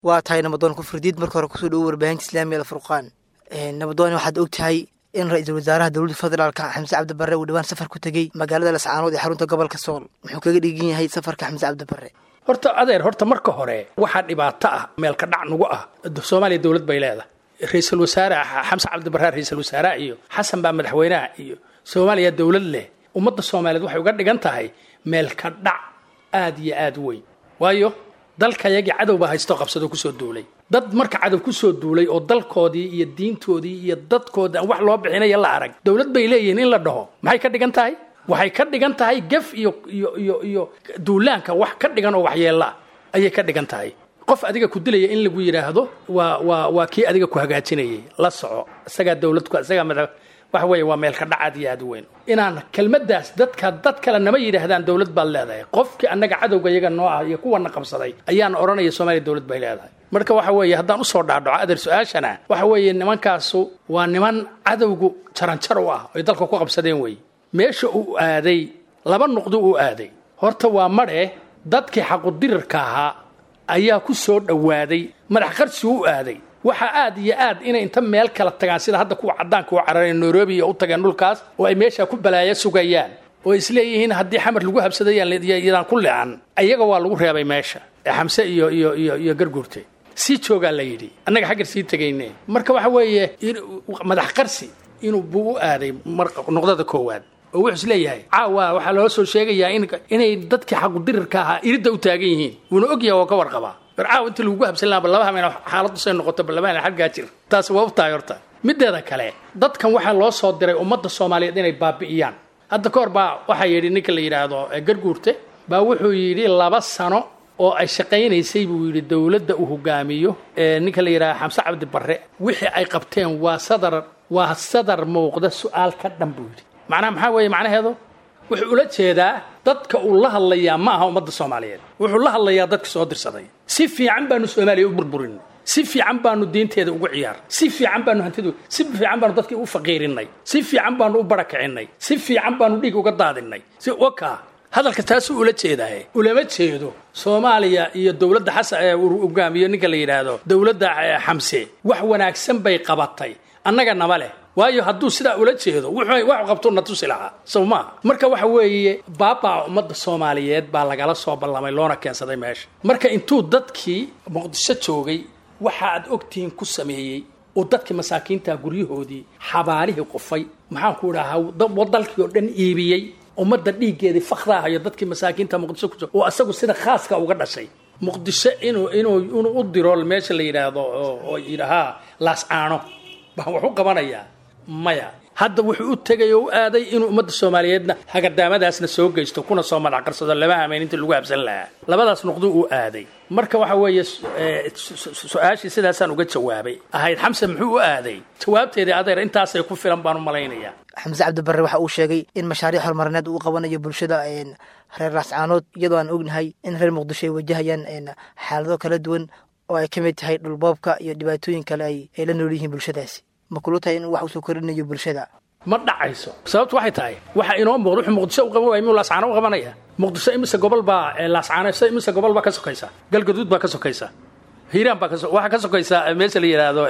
Waa tahay, Nabadoon Kufridiid, marka hore kusoo dhowo warbaahinta Islaamiga Alfurqaan. Nabadoon, waxaad og tahay in ra-iisul wasaaraha dowladda federaalka Xamse Cabdi Barre uu dhowaan safar ku tegey magaalada Lascaanood ee xarunta gobolka Sool. Muxuu kaga dhigan yahay safarka Xamse Cabdi Barre? Horta adeer, horta marka hore waxaa dhibaato ah, meelka dhac nagu ah. Soomaaliya dowlad bay leedahay. Ra-iisul wasaare Xamse Cabdi Barre ra-iisul wasaaraha iyo Xasan baa madaxweynaha iyo Soomaaliya dowlad leh. Ummadda Soomaaliyeed waxay uga dhigan tahay meelka dhac aad iyo aad weyn, waayo dalkayagii cadow baa haysto, qabsado, kusoo duulay. Dad marka cadow kusoo duulay oo dalkoodii iyo diintoodii iyo dadkoodii aan wax loo bixinaya la arag, dowlad bay leeyihiin in la dhaho maxay ka dhigan tahay? Waxay ka dhigan tahay gef iyo duulaanka wax ka dhigan oo waxyeella ayay ka dhigan tahay. Qof adiga ku dilaya in lagu yidhaahdo waa kii adiga ku hagaajinayay, la soco, isagaa dowlad, isagaa madax, waxa weeye waa meel ka dhac aad iyo aad u weyn. Inaan kelmaddaas dadka dad kale nama yidhaahdaan dowlad baad leedahay, qofkii annaga cadowga iyaga noo ah iyo kuwana qabsaday ayaan odhanaya Soomaaliya dowlad bay leedahay. Marka waxa weeye, haddaan usoo dhaadhaco adeer su-aashana, waxa weeye nimankaasu waa niman cadowgu jaranjar u ah ay dalka ku qabsadeen weeye. Meesha uu aaday laba nuqdo uu aaday. Horta waa madhe, dadkii xaqudirirka ahaa ayaa ku soo dhowaaday, madax qarsi u aaday. Waxaa aad iyo aad inay inta meel kala tagaan, sida hadda kuwa caddaanka u carareen Nairobi iyo u tageen dhulkaas oo ay meesha ku balaayo sugayaan oo isleeyihiin haddii Xamar lagu habsadayaan ku leecan. Ayaga waa lagu reebay meesha ee Xamse iyo Garguurte sii joogaa la yidhi, annaga xaggar sii tegayne. Marka waxa weeye madax qarsi inuu buu u aaday nuqdada koowaad, oo wuxuu isleeyahay caawa waxaa loo soo sheegayaa inay dadkii xaqudirirka ahaa iridda u taagan yihiin, wuuna ogyahay oo ka warqabaa. War caawa inta lagugu habsan lahaa laba habeen xaaladdu say noqoto, ba laba habeen xaggaa jir. Taasi waa u tahay. Horta mideeda kale, dadkan waxaa loo soo diray ummadda Soomaaliyeed inay baabi'iyaan. Hadda ka hor baa waxaa yidhi ninka la yidhaahdo Garguurte baa wuxuu yidhi 2 sano oo ay shaqaynaysay buu yidhi dowladda uu hogaamiyo ninka la yidhahdo Xamse Cabdi Barre, wixii ay qabteen waa sadar, waa sadar muuqda, su-aal ka dhan buu yidhi. Macnaha maxaa weeye macnaheedu? Wuxuu ula jeedaa dadka uu la hadlayaa ma aha ummadda Soomaaliyeed, wuxuu la hadlayaa dadka soo dirsaday. Si fiican baanu Soomaaliya u burburin, si fiican baanu diinteeda ugu ciyaar, si fiican baanu hantidu, si fiican baanu dadkii u faqiirinay, si fiican baanu u barakacinay, si fiican baanu dhiig uga daadinay. Si waka hadalka taasuu ula jeedaaye, ulama jeedo Soomaaliya iyo dowladda Xasan ee uu hogaamiyo ninka la yidhaahdo dowladda Xamse wax wanaagsan bay qabatay annaga nama leh. Waayo hadduu sidaa ula jeedo wuxuu wax qabtuu na tusi lahaa, sow maaha? Marka waxa weeye baabaa ummadda Soomaaliyeed baa lagala soo ballamay loona keensaday meesha. Marka intuu dadkii Muqdisho joogay waxa aad ogtihiin ku sameeyey oo dadkii masaakiinta guryahoodii xabaalihii qufay, maxaan ku idhahaa, dalkii oo dhan iibiyey, ummadda dhiiggeedii fakhraahayo, dadkii masaakiinta Muqdisho ku oo asagu sida khaaska uga dhashay Muqdisho inuu u diro meesha la yidhaahdo oo yidhahaa Laascaano baan wax u qabanayaa, maya. Hadda wuxuu u tegay oo u aaday inuu ummadda Soomaaliyeedna hagadaamadaasna soo geysto kuna soo madax qarsado laba hameen intii lagu habsan lahaa. Labadaas nuqdo uu aaday. Marka waxa weeye su-aashii sidaasaan uga jawaabay ahayd Xamse muxuu u aaday, jawaabteedii adeer intaasay ku filan baan u malaynayaa. Xamse Cabdi Barre waxa uu sheegay in mashaariic horumarineed uu qabanayo bulshada reer Laascaanood, iyadoo aan ognahay in reer Muqdisho ay wajahayaan xaalado kala duwan oo ay ka mid tahay dhulboobka iyo dhibaatooyin kale ay la nool yihiin bulshadaasi. Ma kula tahay in wax usoo kordhinayo bulshada? Ma dhacayso. Sababtu waxay tahay waxa inoo muuqda wuxuu Muqdisho u qaban waaya miyuu Laascaano u qabanaya? Muqdisho imise gobol baa Laascaano, imise gobol baa ka sokaysa? Galgaduud baa ka sokaysa, Hiiraan baa waxaa ka sokaysa meesha la yidhaahdo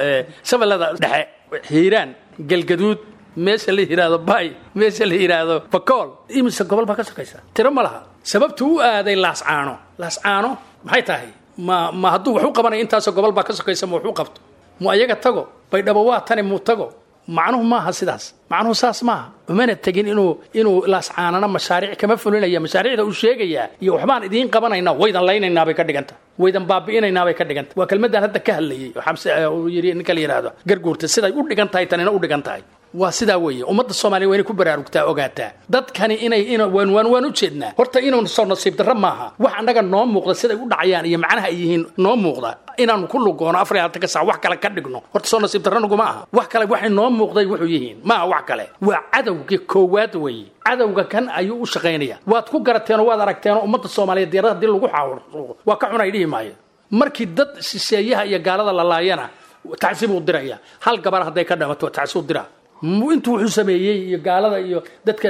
Shabeellada Dhexe, Hiiraan, Galgaduud, meesha la yidhaahdo Bay, meesha la yidhaahdo Bakool. Imise gobol baa ka sokaysa? Tiro ma laha. Sababtu u aaday Laascaano, Laascaano maxay tahay? Ma hadduu wax u qabanaya intaasoo gobol baa ka sokaysa ma wax u qabto, mu ayaga tago Baydhabo, waa tani muu tago? Macnuhu maaha sidaas, macnuhu saas maaha. Umana tegin inuu Laascaanana mashaariic kama fulinaya. Mashaariicda uu sheegayaa iyo waxbaan idiin qabanaynaa, waydan laynaynaa bay ka dhiganta, waydan baabi'inaynaa bay ka dhiganta. Waa kelmadaan hadda ka hadlayay oo Xamse uu yidhi ninka la yidhaahdo Garguurta, siday u dhigan tahay tanina u dhigan tahay. Waa sidaa weeye. Ummadda Soomaaliya waa inay ku baraarugtaa, ogaataa dadkani inay in waan u jeednaa. Horta inuu soo nasiib darro maaha wax annaga noo muuqda siday u dhacayaan iyo macnaha ay yihiin noo muuqda inaanu ku lugoono 24-ka saac wax kale ka dhigno. Horta soo nasiib darro naguma aha. Wax kale waxay noo muuqday wuxuu yihiin maaha wax kale, waa cadowga koowaad weeye. Cadowga kan ayuu u shaqaynaya, waad ku garateenoo waad aragteenoo. Ummadda Soomaaliyeed diyaarada haddii lagu xaawuro waa ka xunay dhihi maayo. Markii dad shisheeyaha iyo gaalada la laayana tacsi buu diraya, hal gabar hadday ka dhamato tacsi u dira. Intuu wuxuu sameeyey iyo gaalada iyo dadka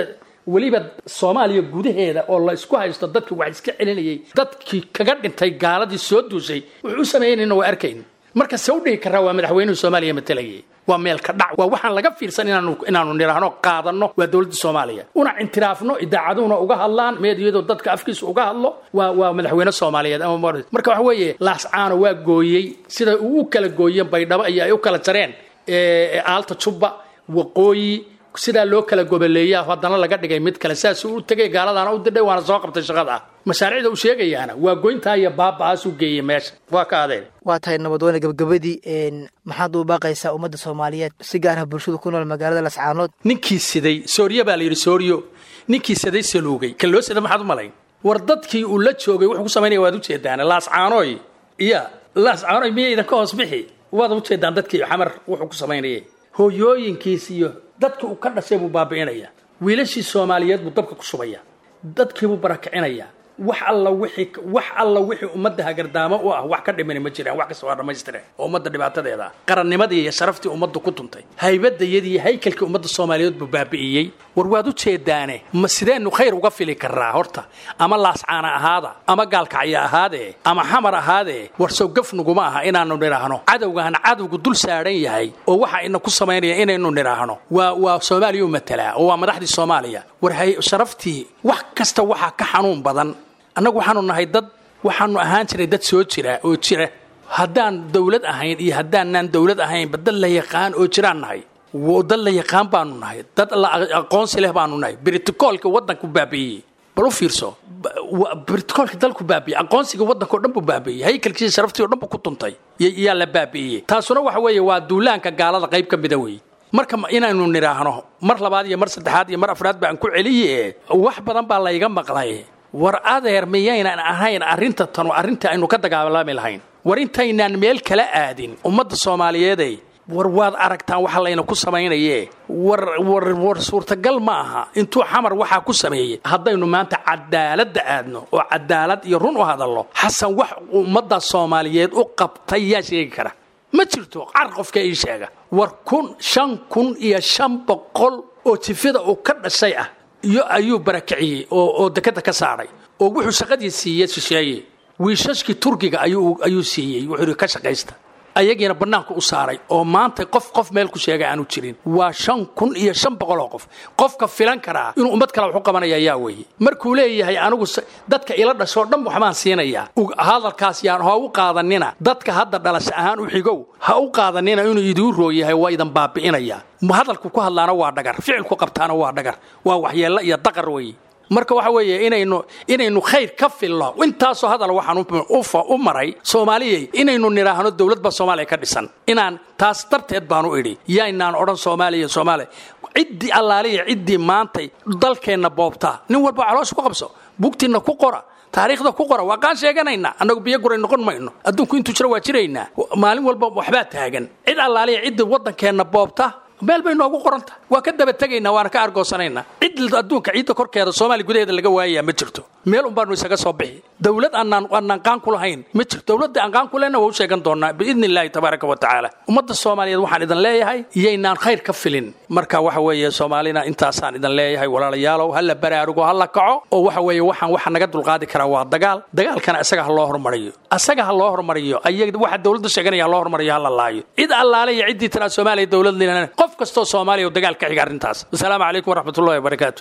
Weliba Soomaaliya gudaheeda oo la isku haysto dadkii wax iska celinayay, dadkii kaga dhintay gaaladii soo duushay wuxuu u sameeynayna waa arkayn. Marka se u dhihi karaa waa madaxweynuhu Soomaaliya matalayay? Waa meel ka dhac, waa waxaan laga fiirsan inaanu nidhaahno qaadanno waa dowladda Soomaaliya, una intiraafno, idaacaduhuna uga hadlaan, meediyadu dadka afkiisa uga hadlo, waa madaxweyne Soomaaliyeed. Ama marka waxa weeye Laascaano waa gooyey sida uu u kala gooyeen Baydhabo iyo ay u kala jareen Aalta Jubba Waqooyi, sidaa loo kala goboleeyaa haddana laga dhigay mid kale. Saasuu u tegay, gaaladaana u didhay, waana soo qabtay shaqada ah. Mashaariicda uu sheegayaana waa goyntaa iyo baaba'aasuu geeyey meesha. Waa ka adeen. Waa tahay nabadoone. Gabagabadii, maxaad u baaqaysaa ummadda Soomaaliyeed, si gaar ah bulshada ku nool magaalada Lascaanood? Ninkii siday Sooriyo baa la yidhi, Sooriyo ninkii siday saluugay, kan loo sida maxaad u malayn? War dadkii uu la joogay wuxuu ku samaynaya waad ujeedaan. Laascaanoy iya Laascaanoy miyaydan ka hoos bixi? Waad ujeedaan dadkii Xamar wuxuu ku samaynayay, hooyooyinkiis iyo dadka uu ka dhashay buu baabi'inaya, wiilashii Soomaaliyeed buu dabka ku shubaya, dadkiibuu barakicinaya. Wax alla wixii, wax alla wixii ummadda hagardaamo u ah wax ka dhimani ma jiraan, wax kasta waa dhammaystire oo ummadda dhibaatadeeda ah. Qarannimadii iyo sharaftii ummadda ku tuntay, haybadayadii iyo haykalkii ummadda Soomaaliyeed buu baabi'iyey. War waad u jeedaane, ma sideenu khayr uga fili karaa horta? Ama Laascaana ahaada, ama Gaalkacya ahaadee, ama Xamar ahaadee, war sow gaf nuguma aha inaanu nidhaahno cadowgaan cadowgu dul saaran yahay oo waxa ina ku samaynaya inaynu nidhaahno waa Soomaaliya u matalaa oo waa madaxdii Soomaaliya? War sharaftii wax kasta waxaa ka xanuun badan. Annagu waxaanu nahay dad, waxaanu ahaan jiray dad soo jira oo jira, haddaan dawlad ahayn iyo haddaanaan dawlad ahaynba dad la yaqaan oo jiraan nahay, dad la yaqaan baanu nahay, dad la aqoonsi leh baanu nahay. Britokoolka waddanku baabi'iyey, bal u fiirso, britokoolka dalku baabi'iyey, aqoonsiga waddanka o dhan buu baabi'iyey, haykalkiisa sharaftii o dhan buu ku tuntay, yaa la baabi'iyey. Taasuna waxa weeye waa duulaanka gaalada qayb ka mida weeye. Marka inaynu nidhaahno mar labaad iyo mar saddexaad iyo mar afraad baan ku celiye, wax badan baa layga maqlay. War adeer, miyaynan ahayn arrinta tanu arrinta aynu ka dagaalami lahayn? War intaynaan meel kala aadin ummadda Soomaaliyeeday, war waad aragtaan waxa layna ku samaynaye. War war war suurtagal ma aha intuu Xamar waxaa ku sameeyey haddaynu maanta cadaaladda aadno oo cadaalad iyo run u hadallo, Xasan wax ummadda Soomaaliyeed u qabtay yaa sheegi kara? Ma jirto. Car qofka ii sheega. War 1500 oo jifada uu ka dhashay ah iyo ayuu barakiciyey oo dekada ka saaray, oo wuxuu shaqadii siiyey shisheeye, wiishashkii Turkiga ayuu siiyey, wuxuu ka shaqaysta, ayagiina bannaanka u saaray, oo maanta qof meel ku sheegay aanu jirin. Waa 5500 oo qof. Qofka filan karaa inuu ummad kale wax u qabanaya yaa weeye? Markuu leeyahay anigu dadka ila dhashoo dhan waxbaan siinayaa, hadalkaas yaan ha u qaadanina dadka hadda dhalasho ahaan u xigow, ha u qaadanina inuu idiin roo yahay, waa idan baabi'inaya. Hadalku ku hadlaana waa dhagar, ficilku qabtaana waa dhagar, waa waxyeello iyo daqar weeye. Marka waxa weeye inaynu khayr ka filno intaasoo hadal waxaan u maray Soomaaliyay inaynu nidhaahno dowlad baa Soomaaliya ka dhisan, inaan taas darteed baanu idhi yaynaan odhan Soomaaliya Soomaaliya. Ciddii allaaliya ciddii maantay dalkeenna boobtaa, nin walba caloosha ku qabso, bugtiinna ku qora, taariikhda ku qora, waa qaan sheeganaynaa. Annagu biyo guray noqon mayno, adduunku intuu jiro waa jiraynaa, maalin walba waxbaa taagan. Cid allaaliya ciddii waddankeenna boobta meel bay noogu qoranta, waa ka daba tegaynaa, waana ka argoosanaynaa. Cid adduunka ciidda korkeeda Soomaaliya gudaheeda laga waayayaa ma jirto, meel un baanu isaga soo bixi. Dowlad aanaan qaan ku lahayn ma jirto, dowladda aan qaan ku lehna waa u sheegan doonaa biidni illaahi tabaaraka wa tacaala. Ummadda Soomaaliyeed waxaan idin leeyahay iyaynaan khayr ka filin. Marka waxa weeye Soomaalina intaasaan idin leeyahay, walaalayaalow, ha la baraarugo, ha la kaco, oo waxa weeye waxaan waxa naga dulqaadi karaa waa dagaal. Dagaalkana isaga ha loo hormariyo, asaga ha loo hormariyo, ayaga waxa dowladda sheeganaya ha loo hormariyo, ha la laayo cid allaale iyo ciddii tiraa Soomaaliya dowlad lina. Qof kastoo Soomaaliya oo dagaal ka xiga arrintaas. Wasalaamu calaykum waraxmatullahi wabarakaatu.